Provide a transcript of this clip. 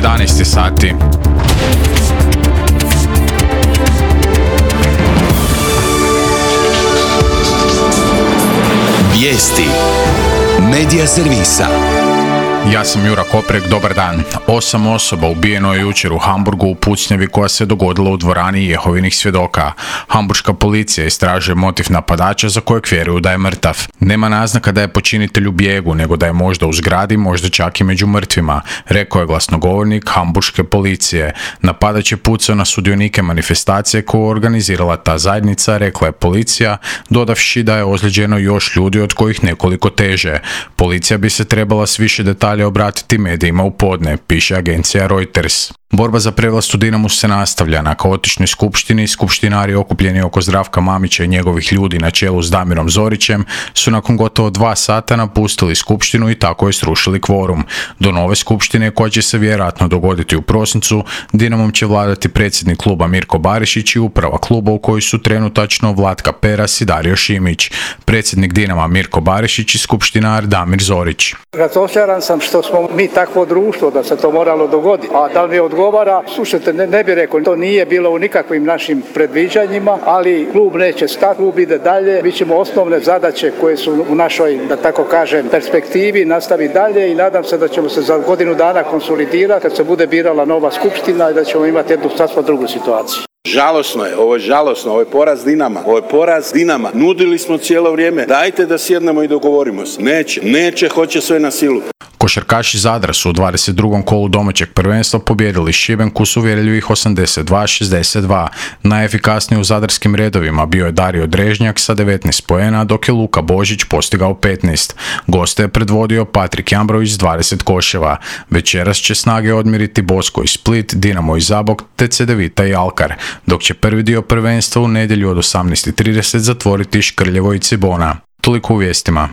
11 sati. Vijesti Medija servisa. Ja sam Jura Koprek, dobar dan. 8 osoba ubijeno je jučer u Hamburgu u pucnjavi koja se dogodila u dvorani Jehovinih svjedoka. Hamburška policija istražuje motiv napadača za kojeg vjeruju da je mrtav. Nema naznaka da je počinitelj u bijegu, nego da je možda u zgradi, možda čak i među mrtvima, rekao je glasnogovornik Hamburške policije. Napadač je pucao na sudionike manifestacije koju je organizirala ta zajednica, rekla je policija, dodavši da je ozlijeđeno još ljudi od kojih nekoliko teže. Policija bi se trebala s više detalja obratiti medijima u podne, piše agencija Reuters. Borba za prevlast u Dinamu se nastavlja. Na kaotičnoj skupštini skupštinari okupljeni oko Zdravka Mamića i njegovih ljudi na čelu s Damirom Zorićem su nakon gotovo 2 sata napustili skupštinu i tako je srušili kvorum. Do nove skupštine, koja će se vjerojatno dogoditi u prosincu, Dinamom će vladati predsjednik kluba Mirko Barišić i uprava kluba u kojoj su trenutačno Vlatka Peras i Dario Šimić. Predsjednik Dinama Mirko Barišić i skupštinar Damir Zorić. Razočaran sam što smo mi takvo društvo da se to moralo dogoditi. A da li mi odgovara, slušajte, ne bi rekao, to nije bilo u nikakvim našim predviđanjima, ali klub neće stati, klub ide dalje. Mi ćemo osnovne zadaće koje su u našoj, da tako kažem, perspektivi nastaviti dalje i nadam se da ćemo se za godinu dana konsolidirati kad se bude birala nova skupština i da ćemo imati jednu sasvim drugu situaciju. Žalosno je, ovo je žalosno, ovo je poraz Dinama. Nudili smo cijelo vrijeme, dajte da sjednemo i dogovorimo se. Neće, hoće sve na silu. Košarkaši Zadra su u 22. kolu domaćeg prvenstva pobijedili Šibenku s uvjerljivih 82-62. Najefikasniji u zadarskim redovima bio je Dario Drežnjak sa 19 poena, dok je Luka Božić postigao 15. Goste je predvodio Patrik Jambrović s 20 koševa. Večeras će snage odmiriti Bosko i Split, Dinamo i Zabok, te Cedevita i Alkar, dok će prvi dio prvenstva u nedjelju od 18:30 zatvoriti Škrljevo i Cibona. Toliko u vijestima.